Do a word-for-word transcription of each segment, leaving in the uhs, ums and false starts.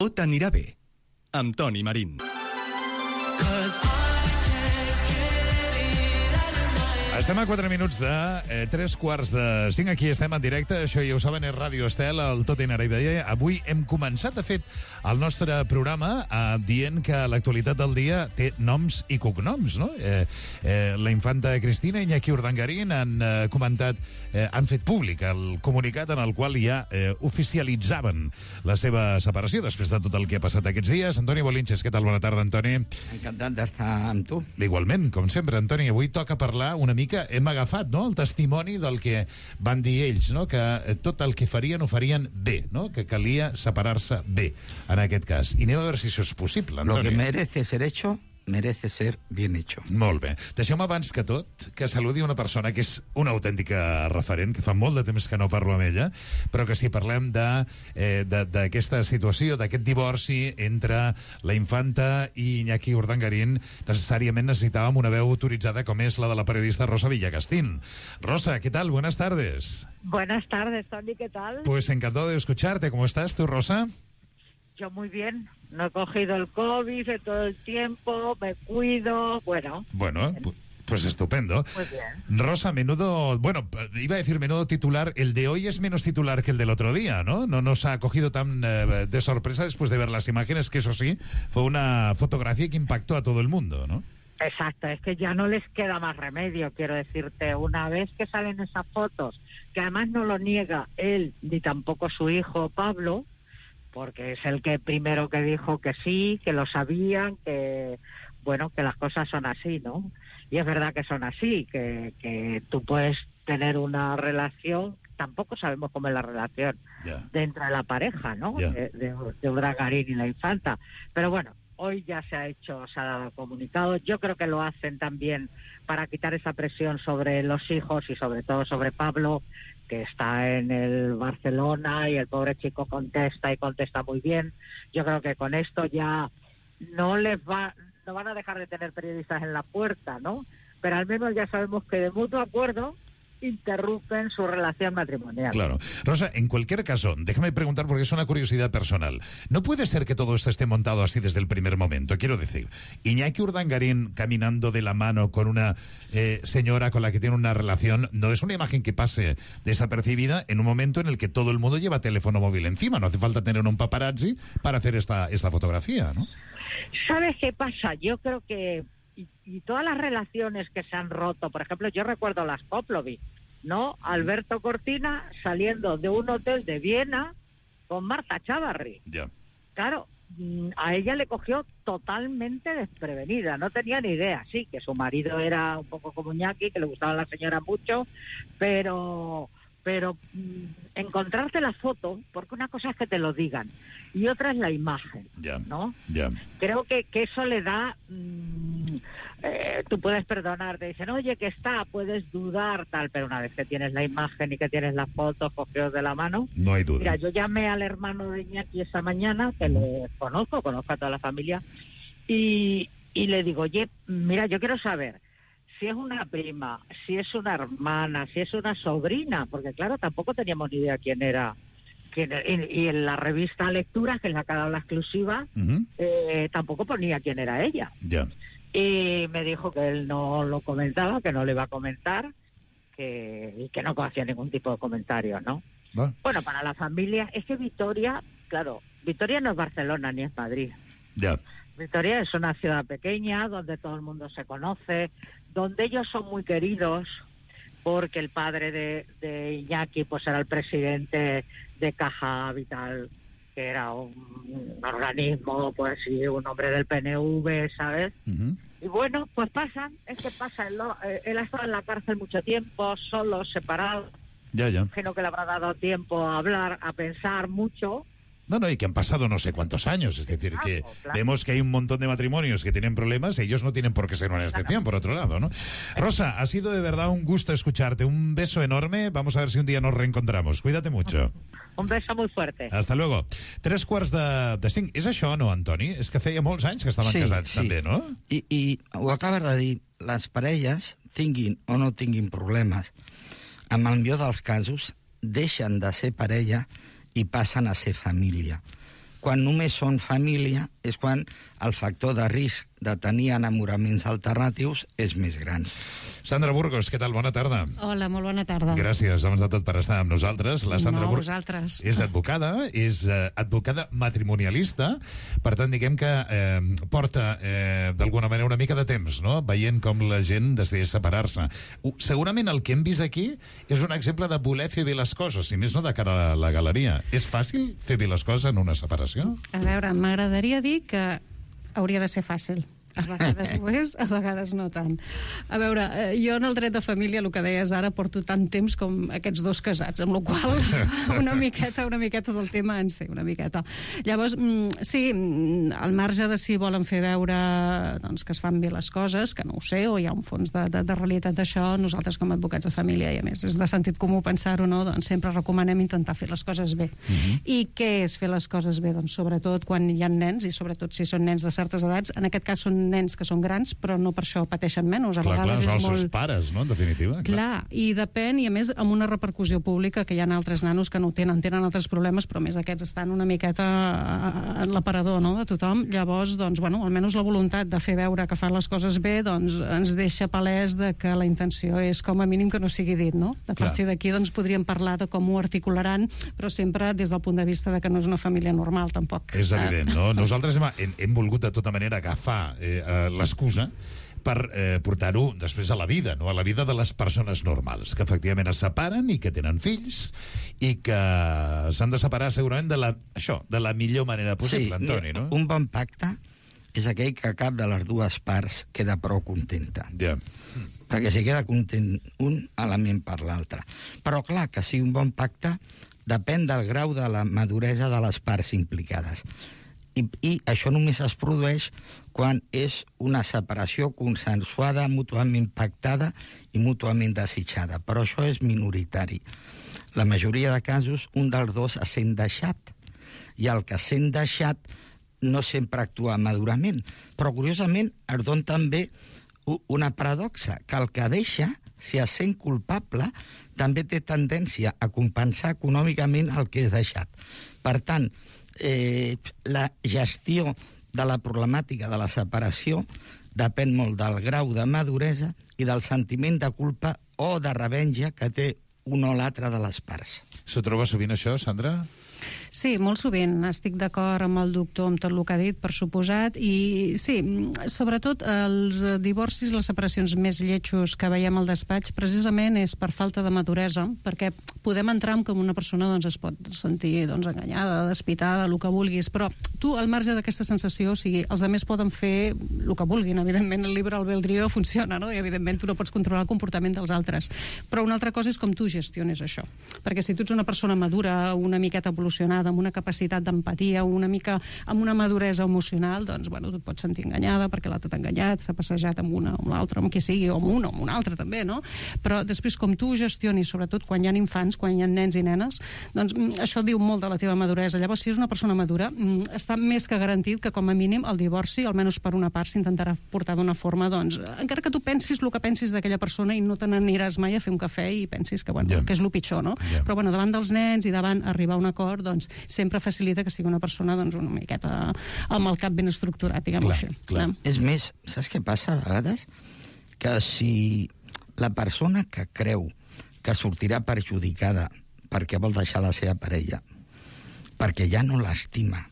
Tot anirà bé, amb Toni Marín. Estem a quatre minuts de eh, tres quarts de cinc. Aquí estem en directe. Això ja ho saben, és Ràdio Estel, el Tot anirà bé. Avui hem començat, de fet, el nostre programa eh, dient que l'actualitat del dia té noms i cognoms, no? Eh, eh, la infanta Cristina i Iñaki Urdangarín han eh, comentat, eh, han fet públic el comunicat en el qual ja eh, oficialitzaven la seva separació després de tot el que ha passat aquests dies. Antoni Bolinches, què tal? Bona tarda, Antoni. Encantat d'estar amb tu. Igualment, com sempre, Antoni, avui toca parlar una mica que hem agafat, no?, el testimoni del que van dir ells, no?, que tot el que farien ho farien bé, no?, que calia separar-se bé, en aquest cas. I anem a veure si això és possible, Antoni. Lo que merece ser hecho, merece ser bien hecho. Molt bé. Deixeu-me abans que tot que saludi una persona que és una autèntica referent, que fa molt de temps que no parlo amb ella, però que si parlem d'aquesta eh, situació, d'aquest divorci entre la infanta i Iñaki Urdangarín, necessàriament necesitàvem una veu autoritzada com és la de la periodista Rosa Villacastín. Rosa, ¿qué tal? Buenas tardes. Buenas tardes, Tony, ¿qué tal? Pues encantado de escucharte. ¿Cómo estás tú, Rosa? Yo muy bien, no he cogido el COVID de todo el tiempo, me cuido, bueno. Bueno, pues, pues estupendo. Muy bien. Rosa, menudo, bueno, iba a decir menudo titular, el de hoy es menos titular que el del otro día, ¿no? No nos ha cogido tan eh, de sorpresa después de ver las imágenes, que eso sí, fue una fotografía que impactó a todo el mundo, ¿no? Exacto, es que ya no les queda más remedio, quiero decirte, una vez que salen esas fotos, que además no lo niega él ni tampoco su hijo Pablo, porque es el que primero que dijo que sí, que lo sabían, que bueno, que las cosas son así, ¿no? Y es verdad que son así, que, que tú puedes tener una relación, tampoco sabemos cómo es la relación yeah. dentro de la pareja, ¿no? Yeah. De, de, de Urdangarín y la infanta. Pero bueno, hoy ya se ha hecho, se ha dado comunicado. Yo creo que lo hacen también para quitar esa presión sobre los hijos y sobre todo sobre Pablo, que está en el Barcelona y el pobre chico contesta y contesta muy bien. Yo creo que con esto ya no les va, no van a dejar de tener periodistas en la puerta, ¿no? Pero al menos ya sabemos que de mutuo acuerdo interrumpen su relación matrimonial. Claro. Rosa, en cualquier caso, déjame preguntar porque es una curiosidad personal. ¿No puede ser que todo esto esté montado así desde el primer momento? Quiero decir, Iñaki Urdangarín caminando de la mano con una eh, señora con la que tiene una relación, no es una imagen que pase desapercibida en un momento en el que todo el mundo lleva teléfono móvil encima. No hace falta tener un paparazzi para hacer esta, esta fotografía, ¿no? ¿Sabes qué pasa? Yo creo que Y, y todas las relaciones que se han roto, por ejemplo, yo recuerdo las Koplovich, ¿no? Alberto Cortina saliendo de un hotel de Viena con Marta Chávarri. Yeah. Claro, a ella le cogió totalmente desprevenida, no tenía ni idea, sí, que su marido era un poco como Iñaki, que le gustaba a la señora mucho, pero... pero mmm, encontrarte la foto, porque una cosa es que te lo digan y otra es la imagen, yeah, ¿no? Yeah. Creo que, que eso le da, mmm, eh, tú puedes perdonar, te dicen, oye, que está, puedes dudar, tal, pero una vez que tienes la imagen y que tienes las fotos cogidos de la mano, no hay duda. Mira, yo llamé al hermano de Iñaki esa mañana, que le conozco, conozco a toda la familia, y, y le digo, oye, mira, yo quiero saber si es una prima, si es una hermana, si es una sobrina, porque claro, tampoco teníamos ni idea quién era. Quién, y, y en la revista Lecturas, que es la que ha dado la exclusiva, uh-huh. eh, tampoco ponía quién era ella. Yeah. Y me dijo que él no lo comentaba, que no le iba a comentar, que, y que no hacía ningún tipo de comentario, ¿no? Bueno. bueno, para la familia, es que Vitoria, claro, Vitoria no es Barcelona ni es Madrid. Ya. Yeah. Vitoria es una ciudad pequeña donde todo el mundo se conoce, donde ellos son muy queridos, porque el padre de, de Iñaki pues era el presidente de Caja Vital, que era un, un organismo, pues sí, un hombre del P N V, ¿sabes? Uh-huh. Y bueno, pues pasan, es que pasa, él, él ha estado en la cárcel mucho tiempo, solo, separado. Ya, ya. Imagino que le habrá dado tiempo a hablar, a pensar mucho. No, no, y que han pasado no sé cuántos años, es decir, claro, que claro. vemos que hay un montón de matrimonios que tienen problemas, ellos no tienen por qué ser una excepción, claro. por otro lado, ¿no? Rosa, ha sido de verdad un gusto escucharte, un beso enorme, vamos a ver si un día nos reencontramos, cuídate mucho. Un beso muy fuerte. Hasta luego. Tres quarts de, de cinc. És això, no, Antoni? És que feia molts anys que estaven sí, casats, sí. també, no? I, I ho acabes de dir, les parelles, tinguin o no tinguin problemes, en el millor dels casos, deixen de ser parella i passen a ser família. Quan només són família és quan el factor de risc de tenir enamoraments alternatius és més gran. Sandra Burgos, què tal? Bona tarda. Hola, molt bona tarda. Gràcies, abans de tot, per estar amb nosaltres. La Sandra no, Burgos vosaltres. és advocada, és eh, advocada matrimonialista, per tant, diguem que eh, porta eh, d'alguna manera una mica de temps, no?, veient com la gent decideix separar-se. Uh, segurament el que hem vist aquí és un exemple de voler fer bé les coses, si més no de cara a la galeria. És fàcil fer bé les coses en una separació? A veure, m'agradaria dir que hauria de ser fàcil. A vegades ho és, a vegades no tant. A veure, eh, jo en el dret de família, el que deies ara, porto tant temps com aquests dos casats, amb la qual una miqueta, una miqueta del tema en sé, una miqueta. Llavors, mm, sí, al marge de si volen fer veure doncs, que es fan bé les coses, que no ho sé, o hi ha un fons de, de, de realitat d'això, nosaltres com a advocats de família, i a més és de sentit comú pensar-ho, no? Doncs sempre recomanem intentar fer les coses bé. Uh-huh. I què és fer les coses bé? Doncs sobretot quan hi ha nens, i sobretot si són nens de certes edats, en aquest cas són nens que són grans, però no per això pateixen menys. A clar, vegades clar, és els molt... seus pares, no?, en definitiva. Clar. clar, i depèn, i a més amb una repercussió pública, que hi ha altres nanos que no tenen, tenen altres problemes, però més aquests estan una miqueta en l'aparador, no?, de tothom. Llavors, doncs, bueno, almenys la voluntat de fer veure que fan les coses bé, doncs ens deixa palès de que la intenció és com a mínim que no sigui dit, no? A partir d'aquí, doncs, podríem parlar de com ho articularan, però sempre des del punt de vista de que no és una família normal, tampoc. És evident, no? Nosaltres hem, hem, hem volgut de tota manera agafar eh, l'excusa per eh, portar-ho després a la vida, no? A la vida de les persones normals, que efectivament es separen i que tenen fills i que s'han de separar segurament de la, això, de la millor manera possible, sí, Antoni, no? Un bon pacte és aquell que cap de les dues parts queda prou contenta. Ja. Perquè si queda content un, element per l'altre. Però clar, que sigui un bon pacte depèn del grau de la maduresa de les parts implicades. I, i això només es produeix quan és una separació consensuada, mútuament pactada i mútuament desitjada. Però això és minoritari. La majoria de casos, un dels dos es sent deixat. I el que sent deixat no sempre actua madurament. Però, curiosament, es dona també una paradoxa, que el que deixa, si es sent culpable, també té tendència a compensar econòmicament el que és deixat. Per tant, Eh, la gestió de la problemàtica de la separació depèn molt del grau de maduresa i del sentiment de culpa o de revenja que té un o l'altre de les parts. S'ho troba sovint això, Sandra? Sí, molt sovint. Estic d'acord amb el doctor, amb tot el que ha dit, per suposat, i sí, sobretot els divorcis, les separacions més lletjos que veiem al despatx, precisament és per falta de maduresa, perquè podem entrar en com una persona doncs, es pot sentir doncs, enganyada, despitada, el que vulguis, però tu, al marge d'aquesta sensació, o sigui, els altres poden fer el que vulguin, evidentment el libre albedrío funciona, no? I evidentment tu no pots controlar el comportament dels altres, però una altra cosa és com tu gestiones això, perquè si tu ets una persona madura, una miqueta evolucionada, amb una capacitat d'empatia, una mica amb una maduresa emocional, doncs, bueno, tu et pots sentir enganyada perquè l'altre t'ha enganyat, s'ha passejat amb una o amb l'altra, amb qui sigui, o amb una o amb una altra també, no? Però després, com tu ho gestionis, sobretot quan hi ha infants, quan hi ha nens i nenes, doncs això diu molt de la teva maduresa. Llavors, si és una persona madura, està més que garantit que, com a mínim, el divorci, almenys per una part, s'intentarà portar d'una forma, doncs, encara que tu pensis el que pensis d'aquella persona i no te n'aniràs mai a fer un cafè i pensis que, bueno, yeah. que és el pitjor, no? Yeah. Però, bueno, davant dels nens i davant arribar a un acord, doncs, sempre facilita que sigui una persona doncs, una miqueta amb el cap ben estructurat, diguem-ho així. Clar. És més, saps què passa a vegades? Que si la persona que creu que sortirà perjudicada perquè vol deixar la seva parella, perquè ja no l'estima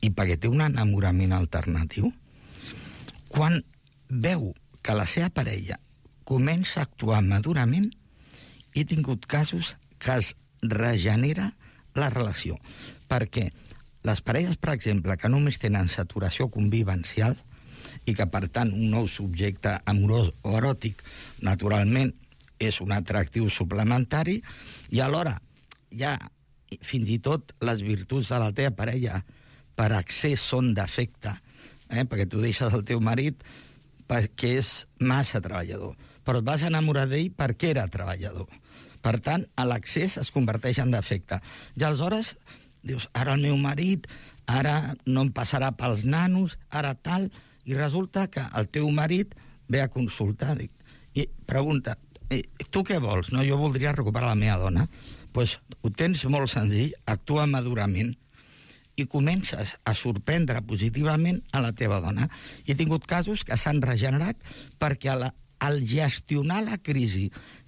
i perquè té un enamorament alternatiu, quan veu que la seva parella comença a actuar madurament, he tingut casos que es regenera la relació. Perquè les parelles, per exemple, que només tenen saturació convivencial i que, per tant, un nou subjecte amorós o eròtic, naturalment, és un atractiu suplementari, i alhora ja fins i tot les virtuts de la teva parella per accés són defecte, eh? perquè tu deixes el teu marit perquè és massa treballador, però et vas enamorar d'ell perquè era treballador. Per tant, l'accés es converteix en defecte. I aleshores dius, ara el meu marit, ara no em passarà pels nanos, ara tal, i resulta que el teu marit ve a consultar i pregunta, eh, tu què vols? No, jo voldria recuperar la meva dona. Doncs pues, ho tens molt senzill, actua madurament i comences a sorprendre positivament a la teva dona. I he tingut casos que s'han regenerat perquè a la, al gestionar la crisi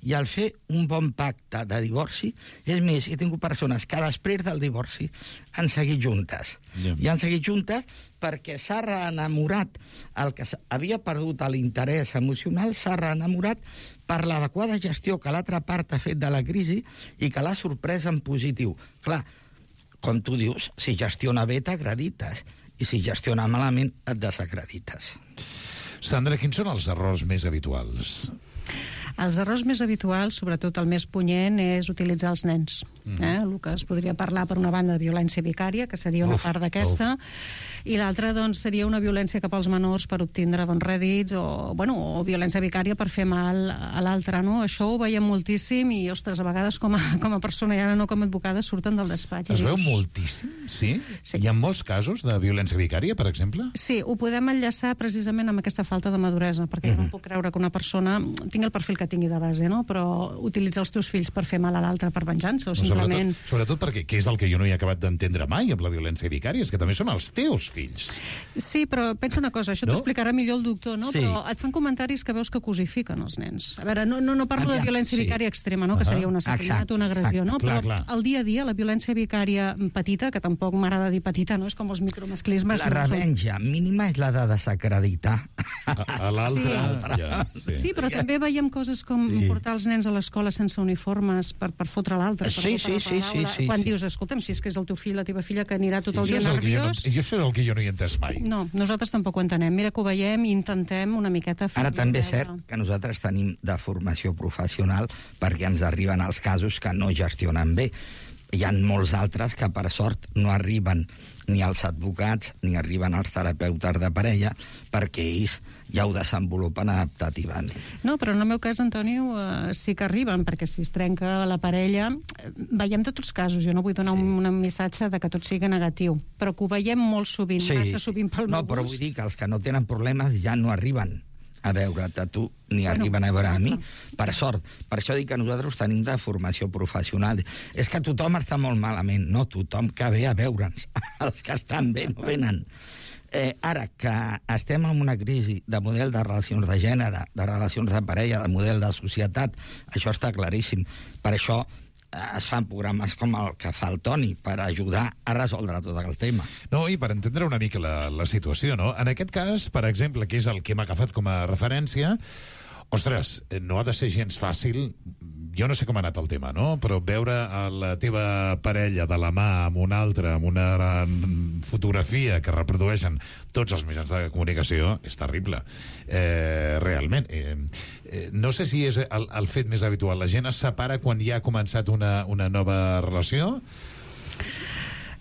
i al fer un bon pacte de divorci, és més, he tingut persones que després del divorci han seguit juntes. Yeah. I han seguit juntes perquè s'ha reenamorat, el que havia perdut l'interès emocional, s'ha reenamorat per l'adequada gestió que l'altra part ha fet de la crisi i que l'ha sorprès en positiu. Clar, com tu dius, si gestiona bé t'acredites i si gestiona malament et desacredites. Sandra, quins són els errors més habituals? Els errors més habituals, sobretot el més punyent, és utilitzar els nens. Mm. Eh? El que es podria parlar, per una banda, de violència vicària, que seria una uf, part d'aquesta, i l'altra, doncs, seria una violència cap als menors per obtindre bons rèdits, o, bueno, o violència vicària per fer mal a l'altre, no? Això ho veiem moltíssim i, ostres, a vegades com a, com a persona i ara no com a advocada surten del despatx. Es veu dius... moltíssim, sí? sí? Hi ha molts casos de violència vicària, per exemple? Sí, ho podem enllaçar precisament amb aquesta falta de maduresa, perquè mm-hmm. jo no puc creure que una persona tingui el perfil que tingui de base, no? Però utilitzar els teus fills per fer mal a l'altre per venjança o simplement... Sobretot, sobretot perquè, què és el que jo no he acabat d'entendre mai amb la violència vicària? És que també són els teus fills. Sí, però pensa una cosa, això no? T'ho explicarà millor el doctor, no? Sí. Però et fan comentaris que veus que cosifiquen els nens. A veure, no, no, no parlo Aviam, de violència sí. vicària extrema, no? Que seria un assassinat o una agressió, no? Clar, però clar. al dia a dia, la violència vicària petita, que tampoc m'agrada dir petita, no? És com els micromasclismes... La no revenja són... mínima és la de desacreditar. A, a l'altre... Sí. Ja, sí. sí, però també veiem coses com Sí. portar els nens a l'escola sense uniformes per, per fotre l'altre. per Sí, fotre sí, sí, la sí, paraula. sí, Quan sí. dius, escolta'm, si és que és el teu fill, la teva filla, que anirà tot el Això dia és el que jo no- nerviós... I això és el que jo no hi he entès mai. No, nosaltres tampoc ho entenem. Mira que ho veiem i intentem una miqueta... Ara fer-li també és veure. cert que nosaltres tenim de formació professional perquè ens arriben els casos que no gestionen bé. Hi ha molts altres que, per sort, no arriben ni als advocats ni arriben als terapeutes de parella perquè ells ja ho desenvolupen adaptativament. No, però en el meu cas, Antonio, eh, sí que arriben, perquè si es trenca la parella... Eh, veiem tots els casos, jo no vull donar sí. un, un missatge de que tot sigui negatiu, però que ho veiem molt sovint, sí. massa sovint pel No, meu però gust. vull dir que els que no tenen problemes ja no arriben a veure't a tu, ni Bueno, arriben a veure a mi, clar. per sort. Per això dic que nosaltres tenim de formació professional. És que tothom està molt malament, no tothom que ve a veure'ns. Els que estan bé no venen. Eh, ara que estem en una crisi de model de relacions de gènere, de relacions de parella, de model de societat, això està claríssim. Per això es fan programes com el que fa el Toni per ajudar a resoldre tot el tema. No, i per entendre una mica la, la situació, no? En aquest cas, per exemple, que és el que m'ha agafat com a referència, ostres, no ha de ser gens fàcil, jo no sé com ha anat el tema, no? Però veure a la teva parella de la mà amb una altra, amb una fotografia que reprodueixen tots els mitjans de comunicació, és terrible. Eh, realment. Eh, eh, no sé si és el, el fet més habitual. La gent es separa quan ja ha començat una, una nova relació?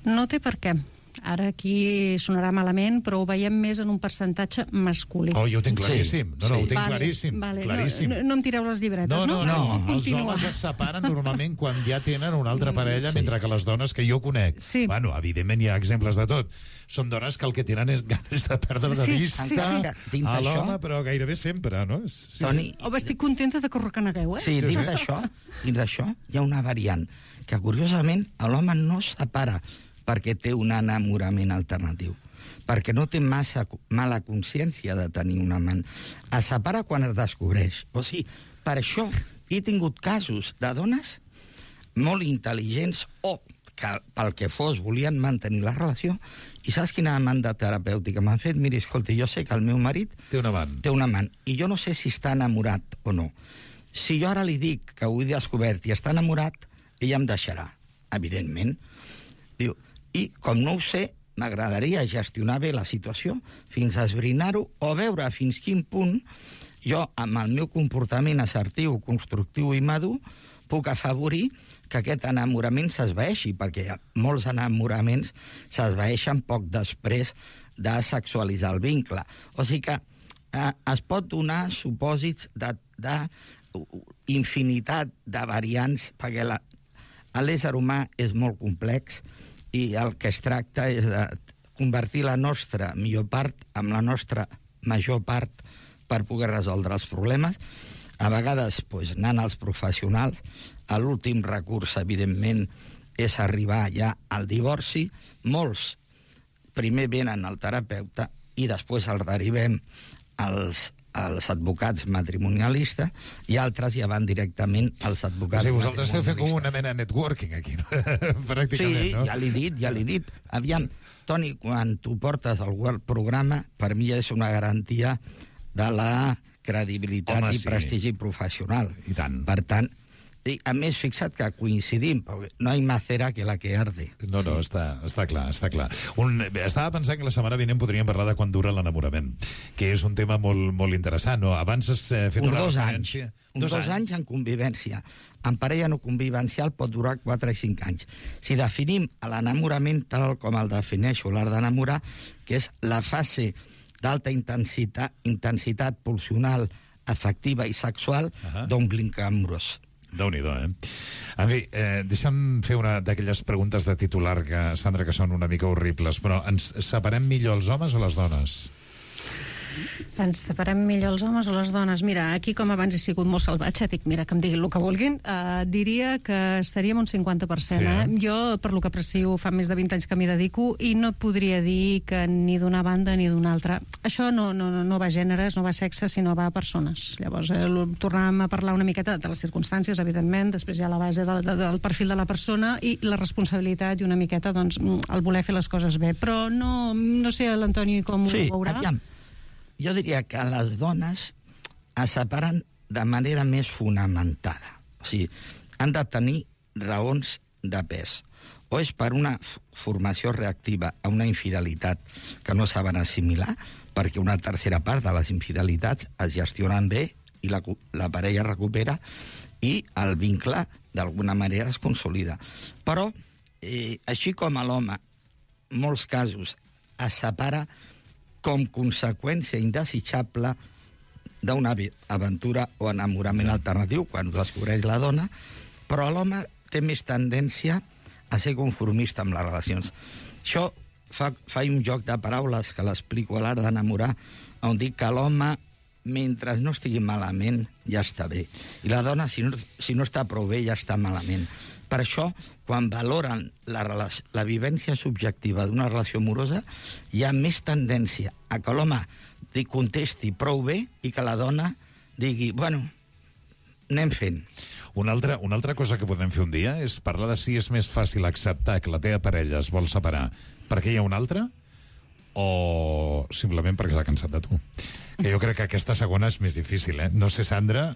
No té per què. Ara aquí sonarà malament, però ho veiem més en un percentatge masculí. Oh, jo ho tinc Sí, claríssim. No, no, sí. ho tinc Vale, claríssim. vale. claríssim. No, no, no em tireu les llibretes, No, no, no? no. No, Els Continua. homes es separen normalment quan ja tenen una altra parella, mentre que les dones que jo conec... Sí. Bueno, evidentment hi ha exemples de tot. Són dones que el que tenen és ganes de perdre de Sí, vista sí, sí. Dins a d'això- l'home, però gairebé sempre, no? Sí, sí. Toni, Home, estic contenta de que ho reconegueu, eh? Sí, dins d'això, dins d'això hi ha una variant que, curiosament, l'home no es separa perquè té un enamorament alternatiu, perquè no té massa mala consciència de tenir un amant. Es separa quan es descobreix. O sigui, per això he tingut casos de dones molt intel·ligents o que pel que fos volien mantenir la relació i saps quina demanda terapèutica m'han fet? Miri, escolta, jo sé que el meu marit Té un amant. té un amant, i jo no sé si està enamorat o no. Si jo ara li dic que ho he descobert i està enamorat, ella em deixarà, evidentment. Diu, i com no ho sé, m'agradaria gestionar bé la situació fins a esbrinar-ho o veure fins quin punt jo, amb el meu comportament assertiu, constructiu i madur, puc afavorir que aquest enamorament s'esvaeixi, perquè molts enamoraments s'esvaeixen poc després de sexualitzar el vincle. O sigui que eh, es pot donar supòsits de, de infinitat de variants, perquè la, l'ésser humà és molt complex i el que es tracta és de convertir la nostra millor part amb la nostra major part per poder resoldre els problemes. A vegades, doncs, anant als professionals, l'últim recurs, evidentment, és arribar ja al divorci. Molts primer venen al terapeuta i després el derivem als, als advocats matrimonialistes i altres ja van directament als advocats matrimonialistes. O sigui, vosaltres esteu fent com matrimonialistes. una mena de networking aquí, no? Pràcticament, Sí, no? ja l'he dit, ja l'he dit. Aviam, Toni, quan tu portes el World Programa, per mi és una garantia de la credibilitat Home, i sí. prestigi professional. I tant. Per tant, i a més, fixa't que coincidim, perquè no hi más cera que la que arde. No, no, està, està clar, està clar. Un, bé, estava pensant que la setmana vinent podríem parlar de quan dura l'enamorament, que és un tema molt, molt interessant, no? Abans has eh, fet Uns una dos anys. referència... Uns dos, dos anys en convivència. En parella no convivencial pot durar quatre i cinc anys. Si definim l'enamorament tal com el defineixo l'art d'enamorar, que és la fase d'alta intensitat, intensitat pulsional, afectiva i sexual Ahà. d'un vincle amorós. Déu-n'hi-do, eh? En fi, eh, deixa'm fer una d'aquelles preguntes de titular, que, Sandra, que són una mica horribles, però ens separem millor els homes o les dones? Ens separem millor els homes o les dones? Mira, aquí com abans he sigut molt salvatge, dic, mira, que em diguin el que vulguin, uh, diria que estaríem un cinquanta per cent. Sí, eh? eh? Jo, per lo que aprecio, fa més de vint anys que m'hi dedico i no et podria dir que ni d'una banda ni d'una altra. Això no, no, no va a gèneres, no va a sexe, sinó va a persones. Llavors, eh, tornàvem a parlar una miqueta de les circumstàncies, evidentment, després hi ha la base del, del perfil de la persona i la responsabilitat i una miqueta, doncs, el voler fer les coses bé. Però no, no sé l'Antoni com Sí, ho veurà. aviam. Jo diria que les dones es separen de manera més fonamentada. O sigui, han de tenir raons de pes. O és per una formació reactiva a una infidelitat que no saben assimilar, perquè una tercera part de les infidelitats es gestionen bé i la, la parella recupera i el vincle d'alguna manera es consolida. Però, eh, així com a l'home, en molts casos es separa com conseqüència indesitjable d'una aventura o enamorament alternatiu, quan ho descobreix la dona, però l'home té més tendència a ser conformista amb les relacions. Això fa, fa un joc de paraules que l'explico a l'art d'enamorar, on dic que l'home, mentre no estigui malament, ja està bé. I la dona, si no, si no està prou bé, ja està malament. Per això, quan valoren la, relació, la vivència subjectiva d'una relació amorosa, hi ha més tendència a que l'home li contesti prou bé i que la dona digui, bueno, anem fent. Una altra, una altra cosa que podem fer un dia és parlar de si és més fàcil acceptar que la teva parella es vol separar perquè hi ha una altra o simplement perquè s'ha cansat de tu. Que jo crec que aquesta segona és més difícil, eh? No sé, Sandra,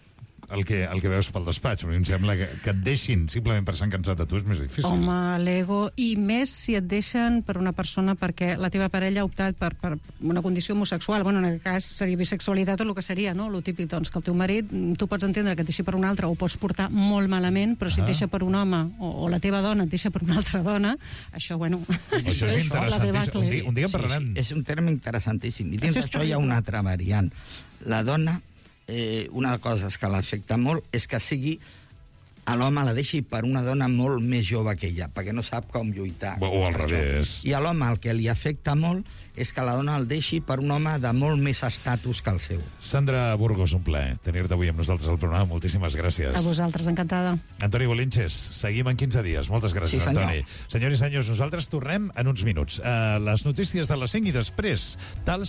el que, el que veus pel despatx, però em sembla que, que et deixin simplement per s'han cansat de tu és més difícil. Home, l'ego, i més si et deixen per una persona perquè la teva parella ha optat per, per una condició homosexual. Bueno, en aquest cas seria bisexualitat o el que seria, no? Lo típic, doncs, que el teu marit, tu pots entendre que et deixi per un altre o pots portar molt malament, però si Ah. et deixa per un home o, o la teva dona et deixa per una altra dona, això, bueno... Això és la interessant. debacle. Un dia, un dia en parlarem. Sí, sí, és un terme interessantíssim. I dins Això és d'això hi ha terrible. una altra variant. La dona, eh, una cosa que l'afecta molt és que sigui a l'home la deixi per una dona molt més jove que ella, perquè no sap com lluitar. O, o al revés. I a l'home el que li afecta molt és que la dona el deixi per un home de molt més estatus que el seu. Sandra Burgos, un plaer tenir-te avui amb nosaltres al programa. Moltíssimes gràcies. A vosaltres, encantada. Antoni Bolinches, seguim en quinze dies. Moltes gràcies, Sí, senyor. Antoni. Senyors i senyors, nosaltres tornem en uns minuts. Uh, les notícies de les cinc i després, tals